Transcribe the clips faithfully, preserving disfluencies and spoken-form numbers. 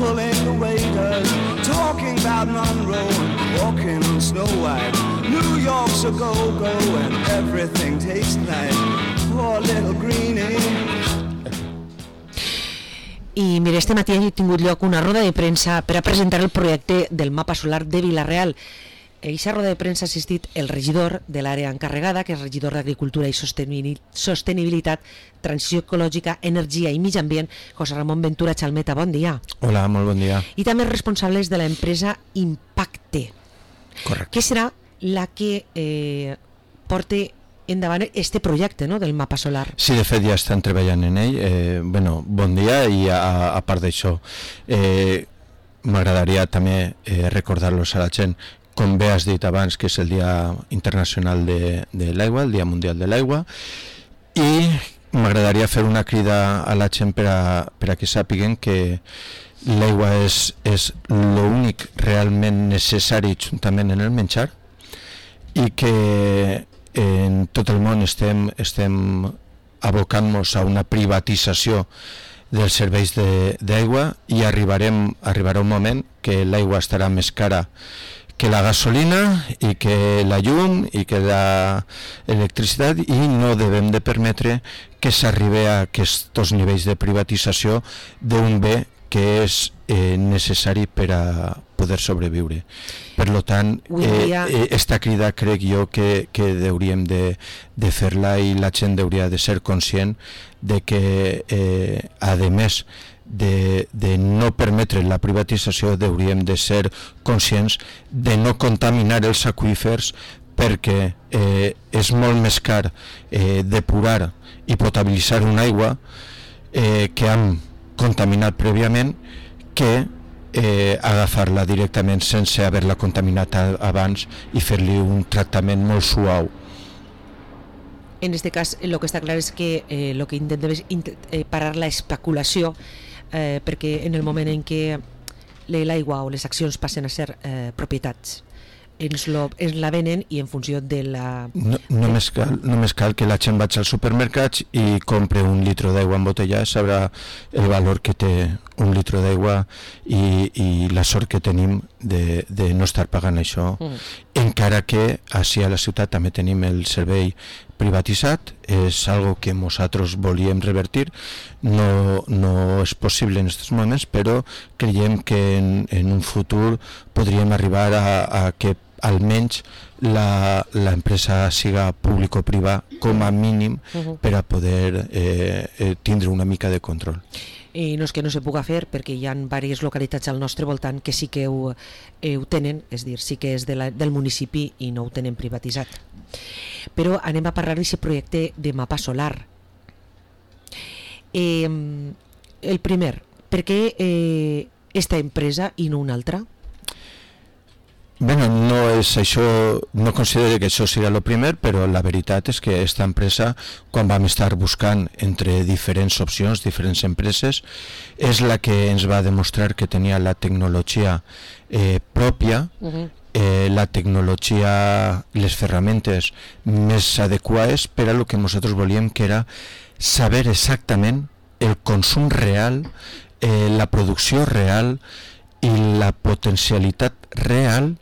pulling the waiters, talking about Monroe and walking on Snow White. New York's a go-go and everything tastes nice. Poor little greenie. I mira, este matí ha tingut lloc una roda de premsa per a presentar el projecte del mapa solar de Vila-real. A aquesta roda de premsa ha assistit el regidor de l'àrea encarregada, que és regidor d'Agricultura i Sostenibilitat, Transició Ecològica, Energia i Mig Ambient, José Ramon Ventura Chalmeta. Bon dia. Hola, molt bon dia. I també els responsables de l'empresa Impacte. Correcte. Que serà la que eh, porti endavant este projecte, no?, del mapa solar. Sí, de fet ja estan treballant en ell. Eh, bueno, bon dia, i a, a part d'això eh, m'agradaria també eh, recordar-los a la gent, com bé has dit abans, que és el Dia Internacional de, de l'Aigua, el Dia Mundial de l'Aigua, i m'agradaria fer una crida a la gent per a, per a que sàpiguen que l'aigua és, és l'únic realment necessari juntament en el menjar, i que en tot el món estem, estem abocant-nos a una privatització dels serveis d'aigua, i arribarem, arribarà un moment que l'aigua estarà més cara que la gasolina i que la llum i que la electricitat, i no devem de permetre que s'arribi a aquests nivells de privatització d'un bé que és eh, necessari per a poder sobreviure. Per lo tant, eh, eh, esta crida crec jo que, que hauríem de, de fer-la, i la gent hauria de ser conscient de que, eh, a més de, de no permetre la privatització, hauríem de ser conscients de no contaminar els aqüífers, perquè eh, és molt més car eh, depurar i potabilitzar una aigua eh, que hem contaminat prèviament, que eh, agafar-la directament sense haver-la contaminat abans i fer-li un tractament molt suau. En este cas, el que està clar és que eh, el que intentem és eh, parar la especulació, eh, perquè en el moment en què l'aigua o les accions passen a ser eh, propietats, ens, lo, ens la venen, i en funció de la... No, només, cal, només cal que la gent vagi als supermercats i compre un litro d'aigua embotellada, sabrà el valor que té un litro d'aigua, i, i la sort que tenim de, de no estar pagant això, mm. encara que així a la ciutat també tenim el servei privatitzat. És algo que nosaltres volíem revertir. No, no és possible en aquests moments, però creiem que en, en un futur podríem arribar a, a que almenys l'empresa siga público-privada com a mínim, uh-huh. per a poder eh, eh, tindre una mica de control. I no és que no se puga fer, perquè hi ha diverses localitats al nostre voltant que sí que ho, eh, ho tenen, és dir, sí que és de la, del municipi i no ho tenen privatitzat. Però anem a parlar d'aquest projecte de mapa solar. Eh, el primer, per què eh, esta empresa i no una altra? Bueno, no és això, no considero que això sigui el primer, però la veritat és que aquesta empresa, quan vam estar buscant entre diferents opcions, diferents empreses, és la que ens va demostrar que tenia la tecnologia eh, pròpia, uh-huh. eh, la tecnologia, les ferramentes més adequades per a lo que nosaltres volíem, que era saber exactament el consum real, eh, la producció real i la potencialitat real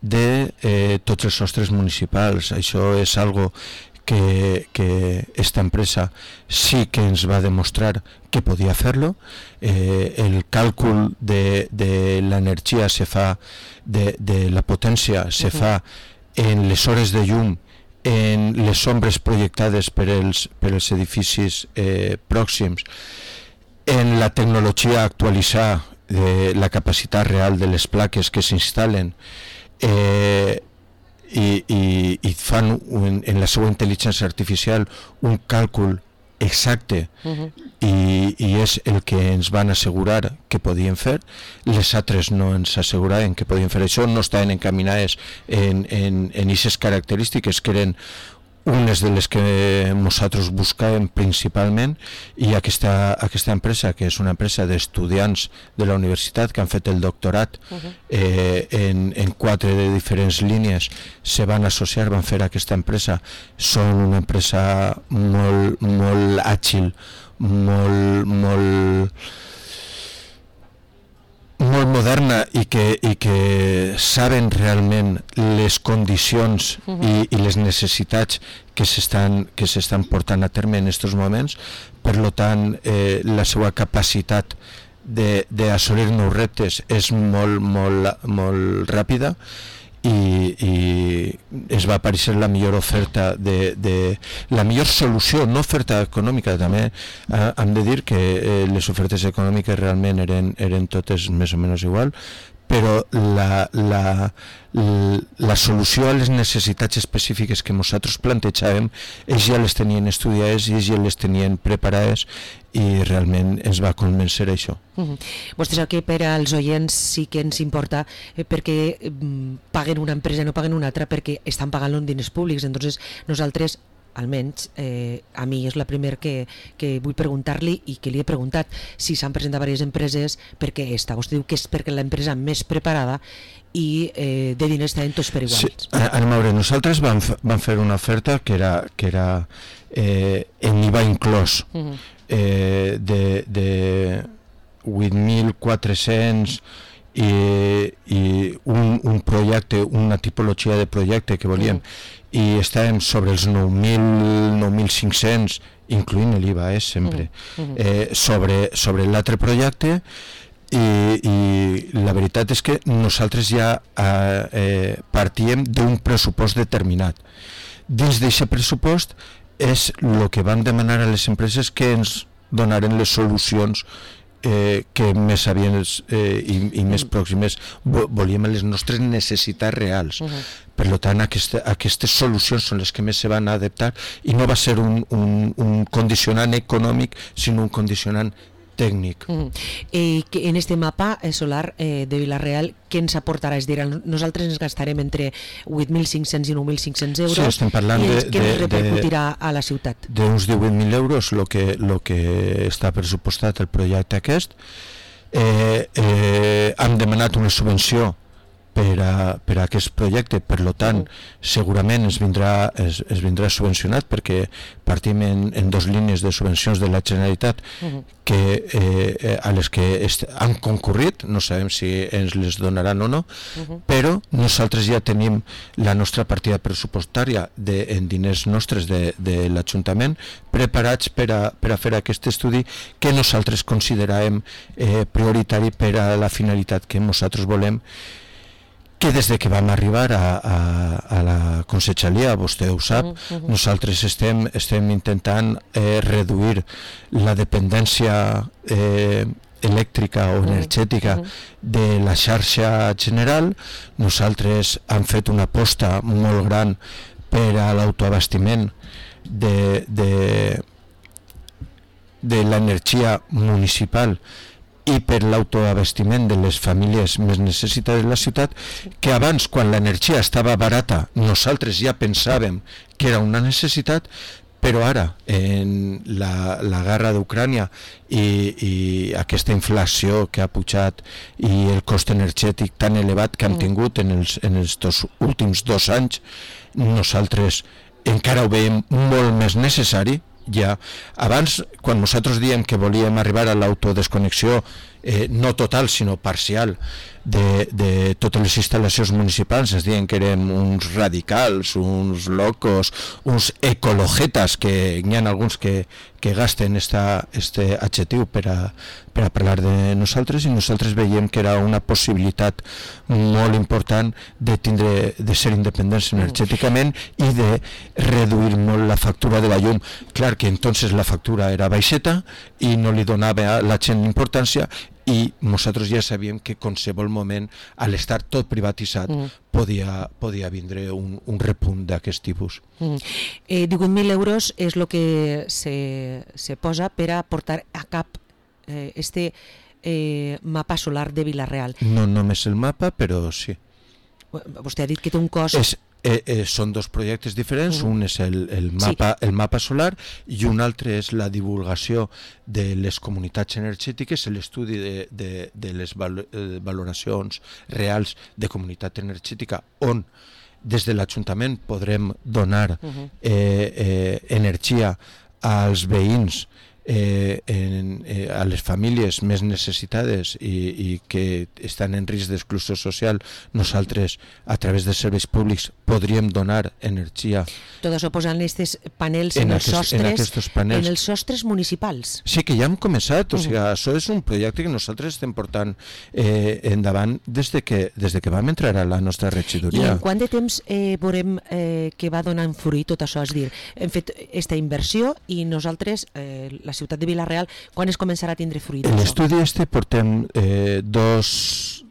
de eh, tots els sostres municipals. Això és algo que, que esta empresa sí que ens va demostrar que podia fer-lo. Eh, el càlcul de, de l'energia se fa, de, de la potència se uh-huh. fa en les hores de llum, en les ombres projectades per els, per els edificis eh, pròxims, en la tecnologia actualitzar de la capacitat real de les plaques que s'instal·len, Eh, i, i, i fan un, en la seva intel·ligència artificial un càlcul exacte, uh-huh. i, i és el que ens van assegurar que podien fer. Les altres no ens asseguraven que podien fer això, no estaven encaminades en, en, en aquestes característiques, que eren unes de les que nosaltres buscàvem principalment, i aquesta, aquesta empresa, que és una empresa d'estudiants de la universitat que han fet el doctorat uh-huh. eh, en, en quatre de diferents línies, se van associar, van fer aquesta empresa. Són una empresa molt, molt àgil, molt, molt moderna i que, i que saben realment les condicions uh-huh. i, i les necessitats que s'estan que s'estan portant a terme en aquests moments. Per lo tant, eh, la seva capacitat d'assolir nous reptes és molt, molt, molt ràpida i, i es va aparèixer la millor oferta de, de la millor solució, no oferta econòmica. També eh, hem de dir que eh, les ofertes econòmiques realment eren, eren totes més o menys igual, però la, la, la solució a les necessitats específiques que nosaltres plantejàvem, ells ja les tenien estudiades i ells ja les tenien preparades i realment ens va convèncer això. Uh-huh. Vostè sap que per als oients sí que ens importa eh, perquè eh, paguen una empresa i no paguen una altra, perquè estan pagant-lo en diners públics. Entonces nosaltres, almenys eh, a mi és la primera que, que vull preguntar-li i que li he preguntat si s'han presentat diverses empreses perquè esta. Vostè diu que és perquè l'empresa més preparada i eh, de diners tenen tots per iguals. Sí, anem a veure, nosaltres vam, vam fer una oferta que era, que era eh, en I V A inclòs uh-huh. eh, de, de vuit mil quatre-cents i, i un, un projecte, una tipologia de projecte que volíem uh-huh. i estàvem sobre els nou mil, nou mil cinc-cents, incloent l'I V A, eh, sempre, uh-huh. eh, sobre, sobre l'altre projecte. I, i la veritat és que nosaltres ja eh, eh, partíem d'un pressupost determinat. Dins d'aquest pressupost és el que vam demanar a les empreses que ens donaren les solucions eh, que més sabients eh, i, i més pròximes volíem a les nostres necessitats reals. Uh-huh. Per tant, aquesta, aquestes solucions són les que més se van adaptar i no va ser un, un, un condicionant econòmic, sinó un condicionant tècnic. Mm. Eh, que en este mapa eh, solar eh, de Vila-real, què ens aportarà? És dir, nosaltres ens gastarem entre vuit mil cinc-cents i nou mil cinc-cents euros. Sí, estem parlant i de, què ens de, repercutirà de, a la ciutat? D'uns divuit mil euros, el que, lo que està pressupostat el projecte aquest. Eh, eh, hem demanat una subvenció per a, per a aquest projecte, per lo tant uh-huh. segurament es vindrà, es, es vindrà subvencionat, perquè partim en, en dos línies de subvencions de la Generalitat uh-huh. que, eh, a les que est- han concurrit, no sabem si ens les donaran o no, uh-huh. però nosaltres ja tenim la nostra partida pressupostària de, en diners nostres de, de l'Ajuntament preparats per a, per a fer aquest estudi que nosaltres consideràvem eh, prioritari per a la finalitat que nosaltres volem, que des de que vam arribar a, a, a la conselleria, vostè ho sap, uh -huh. nosaltres estem, estem intentant eh, reduir la dependència eh, elèctrica o energètica uh -huh. de la xarxa general. Nosaltres hem fet una aposta molt gran per a l'autoabastiment de, de, de l'energia municipal i per l'autoabastiment de les famílies més necessitades de la ciutat, que abans, quan l'energia estava barata, nosaltres ja pensàvem que era una necessitat, però ara, en la, la guerra d'Ucrània i, i aquesta inflació que ha pujat i el cost energètic tan elevat que hem tingut en els, en els dos últims dos anys, nosaltres encara ho veiem molt més necessari. Ja, abans, quan nosaltres diem que volíem arribar a l'autodesconnexió eh, no total sinó parcial de, de totes les instal·lacions municipals, ens diuen que érem uns radicals, uns locos, uns ecologetas, que hi ha alguns que, que gasten esta, este adjectiu per a, per a parlar de nosaltres, i nosaltres veiem que era una possibilitat molt important de tindre, de ser independents energèticament i de reduir molt la factura de la llum. Clar que entonces la factura era baixeta i no li donava a la gent importància, i nosaltres ja sabíem que qualsevol moment, a l'estar tot privatitzat, mm. podia, podia vindre un, un repunt d'aquest tipus. Mm. Eh, divuit mil euros és el que se, se posa per a portar a cap eh, este eh, mapa solar de Vila-real. No només el mapa, però sí. Vostè ha dit que té un cost... És, eh, eh, són dos projectes diferents, uh-huh. un és el, el, mapa, sí. el mapa solar i un altre és la divulgació de les comunitats energètiques, l'estudi de, de, de les val- eh, valoracions reals de comunitat energètica, on des de l'Ajuntament podrem donar uh-huh. eh, eh, energia als veïns eh, en, eh, a les famílies més necessitades i, i que estan en risc d'exclusió social, nosaltres a través de serveis públics podríem donar energia. Tot això posant aquests panels en, en, aquest, els sostres, en, panels. en els sostres municipals. Sí, que ja hem començat, o sigui, això és un projecte que nosaltres estem portant eh, endavant des de, que, des de que vam entrar a la nostra regidoria. I en quant de temps eh, veurem eh, que va donant fruit tot això? És dir, hem fet aquesta inversió i nosaltres, eh, la ciutat de Vila-real, quan es començarà a tindre fruit? L'estudi este portem eh, dos,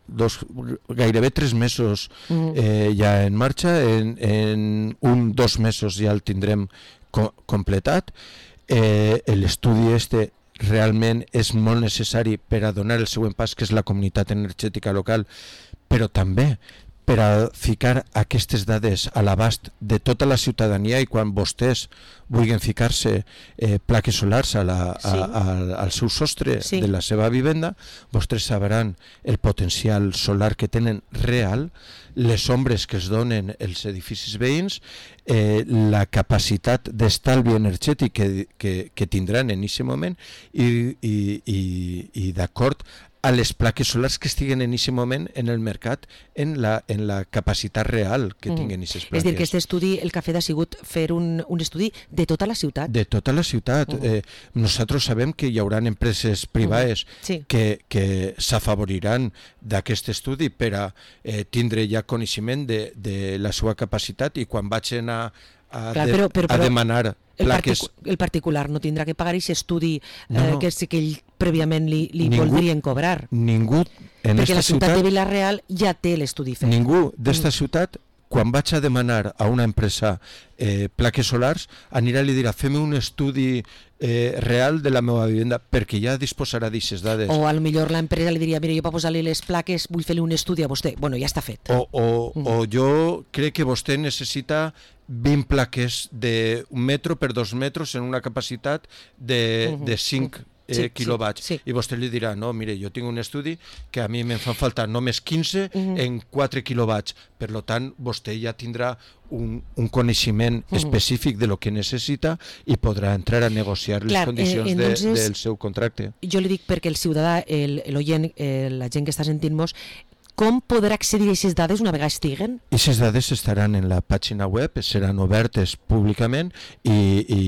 dos, gairebé tres mesos eh, ja en marxa, en, en un, dos mesos ja el tindrem co completat. Eh, l'estudi este realment és molt necessari per a donar el següent pas, que és la comunitat energètica local, però també per a ficar aquestes dades a l'abast de tota la ciutadania, i quan vostès vulguin ficar-se eh, plaques solars a la, a, sí. a, al seu sostre sí. de la seva vivenda, vostès sabran el potencial solar que tenen real, les ombres que es donen els edificis veïns, eh, la capacitat d'estalvi energètic que, que, que tindran en aquest moment i, i, i, i d'acord a les plaques solars que estiguen en aquest moment en el mercat, en la, en la capacitat real que tinguen aquestes plaques. És dir, que aquest estudi, el que ha fet ha sigut fer un, un estudi de tota la ciutat. De tota la ciutat. Uh -huh. eh, nosaltres sabem que hi haurà empreses privades uh -huh. sí. que, que s'afavoriran d'aquest estudi per a eh, tindre ja coneixement de, de la seva capacitat, i quan vagin a, a, Clar, de, però, però, però, a demanar el, plaques... particu el particular no tindrà que pagar aquest estudi eh, no, no. que, que ell prèviament li, li ningú, voldrien cobrar. Ningú en perquè esta la ciutat ciutat, de Vila-real ja té l'estudi fet. Ningú d'esta mm. ciutat, quan vaig a demanar a una empresa eh, plaques solars, anirà i li dirà fem un estudi eh, real de la meva vivenda, perquè ja disposarà d'aquestes dades. O a lo millor l'empresa li diria, mira, jo per posar-li les plaques vull fer-li un estudi a vostè. Bueno, ja està fet. O, o, mm. o jo crec que vostè necessita vint plaques d'un metro per dos metres en una capacitat de, mm -hmm. de cinc eh, sí, quilowatts. Sí, sí. I vostè li dirà, no, mire, jo tinc un estudi que a mi me'n fan faltar només quinze mm -hmm. en quatre quilowatts. Per tant, vostè ja tindrà un, un coneixement mm -hmm. específic de lo que necessita i podrà entrar a negociar les Clar, condicions eh, entonces, de, del seu contracte. Jo li dic perquè el ciutadà, l'oient, la gent que està sentint-nos, com podrà accedir a aquestes dades una vegada estiguen? Aquestes dades estaran en la pàgina web, seran obertes públicament i, i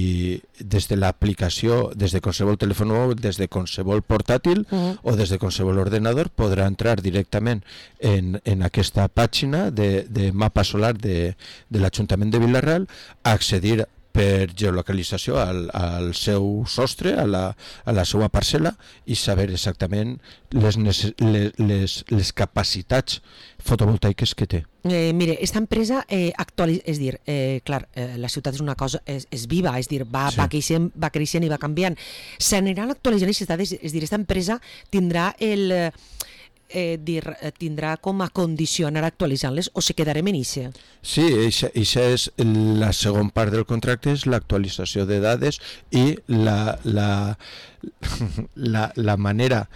des de l'aplicació, des de qualsevol telèfon mòbil, des de qualsevol portàtil uh -huh. o des de qualsevol ordenador, podrà entrar directament en, en aquesta pàgina de, de mapa solar de, de l'Ajuntament de Vila-real, a accedir per geolocalització al, al seu sostre, a la, a la seva parcel·la, i saber exactament les, les, les, les capacitats fotovoltaiques que té. Eh, mire, aquesta empresa eh, actualitza, és dir, eh, clar, eh, la ciutat és una cosa, és, és viva, és dir, va, sí. va, creixent, va creixent i va canviant. S'aniran actualitzant aquestes dades, és dir, aquesta empresa tindrà el... Eh, dir, tindrà com a condició anar actualitzant-les o se quedarem en ixe? Sí, això és la segona part del contracte, és l'actualització de dades i la, la, la, la manera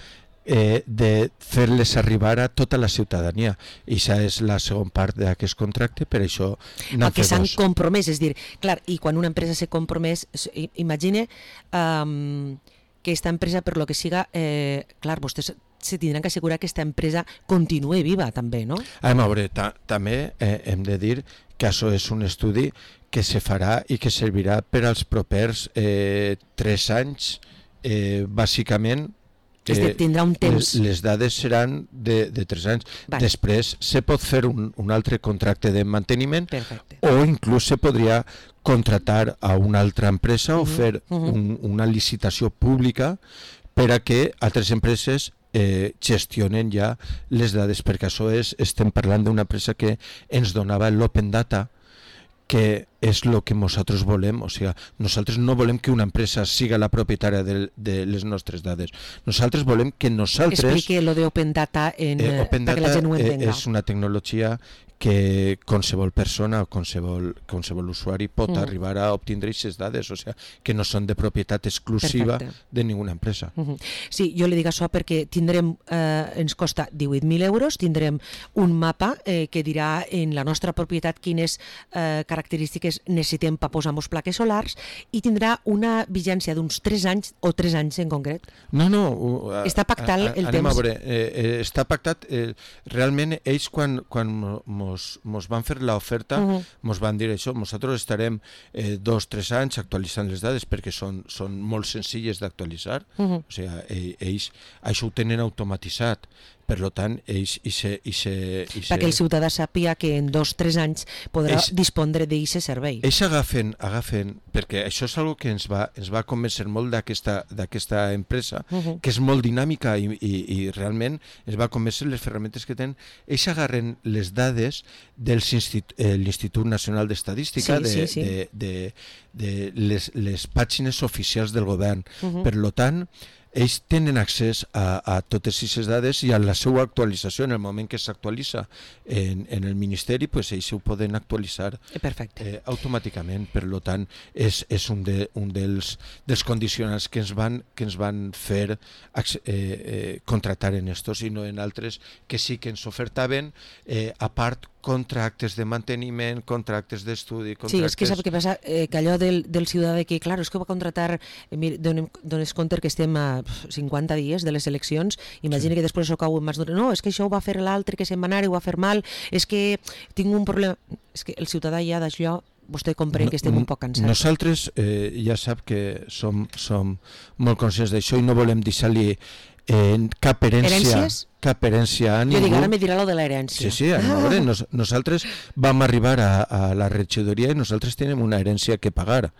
eh, de fer-les arribar a tota la ciutadania. I això és la segona part d'aquest contracte, per això n'han fet dos. S'han compromès, és dir, clar, i quan una empresa s'ha compromès, imagine um, que aquesta empresa, per lo que siga, eh, clar, vostès se tindran que assegurar que aquesta empresa continuï viva també, no? A veure, ta també eh, hem de dir que això és un estudi que se farà i que servirà per als propers eh, tres anys, eh, bàsicament. Eh, és dir, tindrà un temps. Les, les dades seran de, de tres anys. Vale. Després se pot fer un, un altre contracte de manteniment. Perfecte. O inclús se podria contratar a una altra empresa uh -huh. o fer uh -huh. un, una licitació pública per a que altres empreses Eh, gestionen ja les dades, perquè això és, estem parlant d'una empresa que ens donava l'open data, que és el que nosaltres volem. O sigui, nosaltres no volem que una empresa siga la propietària de, de les nostres dades. Nosaltres volem que nosaltres... Explique lo de open data en, eh, open perquè data la gent ho entenga. És una tecnologia que qualsevol persona o qualsevol, qualsevol usuari pot Mm. arribar a obtindre aquestes dades, o sigui, que no són de propietat exclusiva Perfecte. de ninguna empresa. Uh -huh. Sí, jo li dic això perquè tindrem, eh, ens costa divuit mil euros, tindrem un mapa eh, que dirà en la nostra propietat quines eh, característiques necessitem per posar les plaques solars i tindrà una vigència d'uns tres anys o tres anys en concret. No, no. Uh, Està pactat el anem temps. A veure, eh, eh, està pactat. Eh, realment, ells quan, quan mos, mos van fer l'oferta, Uh-huh. mos van dir això, nosaltres estarem eh, dos, tres anys actualitzant les dades perquè són, són molt senzilles d'actualitzar. Uh-huh. O sigui, eh, ells això ho tenen automatitzat. Per tant, ells i se, i se, i se... Perquè el ciutadà sàpiga que en dos o tres anys podrà Ells- dispondre d'aquest servei. Ells agafen, agafen, perquè això és una que ens va, ens va convèncer molt d'aquesta d'aquesta empresa, Uh-huh. que és molt dinàmica i, i, i realment ens va convèncer les ferramentes que tenen. Ells agarren les dades de l'Institut Nacional d'Estadística, Sí, de, sí, sí. de, de, de les, les pàgines oficials del govern. Uh-huh. Per lo tant, ells tenen accés a, a totes aquestes dades i a la seva actualització. En el moment que s'actualitza en, en el Ministeri, pues ells ho poden actualitzar Perfecte. eh, automàticament. Per lo tant, és, és un, de, un dels, dels condicionants que ens van, que ens van fer eh, eh, contractar en estos i no en altres que sí que ens ofertaven, eh, a part, contractes de manteniment, contractes d'estudi, contractes... Sí, és que sap què passa? Eh, que allò del, del ciutadà que, clar, és que va contractar, eh, mira, donem, dones compte que estem a cinquanta dies de les eleccions, imagina Sí. que després ho cau en mans d'una, no, és que això ho va fer l'altre que se'n va anar i ho va fer mal, és que tinc un problema... És que el ciutadà ja d'això, vostè comprèn que estem un poc cansats. Nosaltres eh, ja sap que som, som molt conscients d'això i no volem deixar-li eh, cap herència, Herències? cap herència a Jo ningú. dic, ara me dirà lo de l'herència. Sí, sí, a veure, nos, nosaltres vam arribar a, a la regidoria i nosaltres tenim una herència que pagar.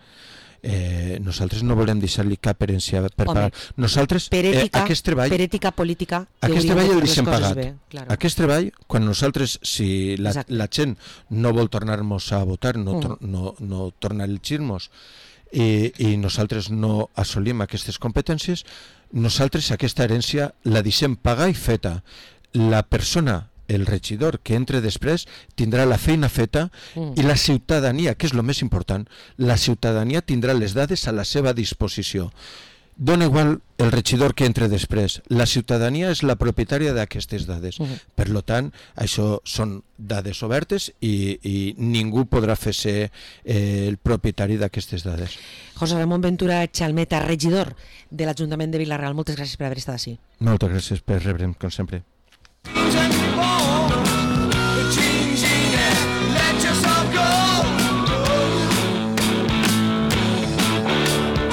Eh, nosaltres no volem deixar-li cap herència per Home, pagar. Nosaltres, Per ètica, eh, aquest treball, per ètica política, que aquest hauríem treball de el fer les deixem coses pagat. bé, claro. Aquest treball, quan nosaltres, si la, Exacte. la gent no vol tornar-nos a votar, no, Mm. tor no, no torna a elegir-nos, i, i nosaltres no assolim aquestes competències, nosaltres aquesta herència la deixem pagar i feta. La persona, el regidor que entre després, tindrà la feina feta Mm. i la ciutadania, que és el més important, la ciutadania tindrà les dades a la seva disposició. Dona igual el regidor que entre després. La ciutadania és la propietària d'aquestes dades. Mhm. Per lo tant, això són dades obertes i, i ningú podrà fer-se eh, el propietari d'aquestes dades. José Ramón Ventura Chalmeta, regidor de l'Ajuntament de Vila-real, moltes gràcies per haver estat així. Moltes gràcies per rebre'm, com sempre. Ten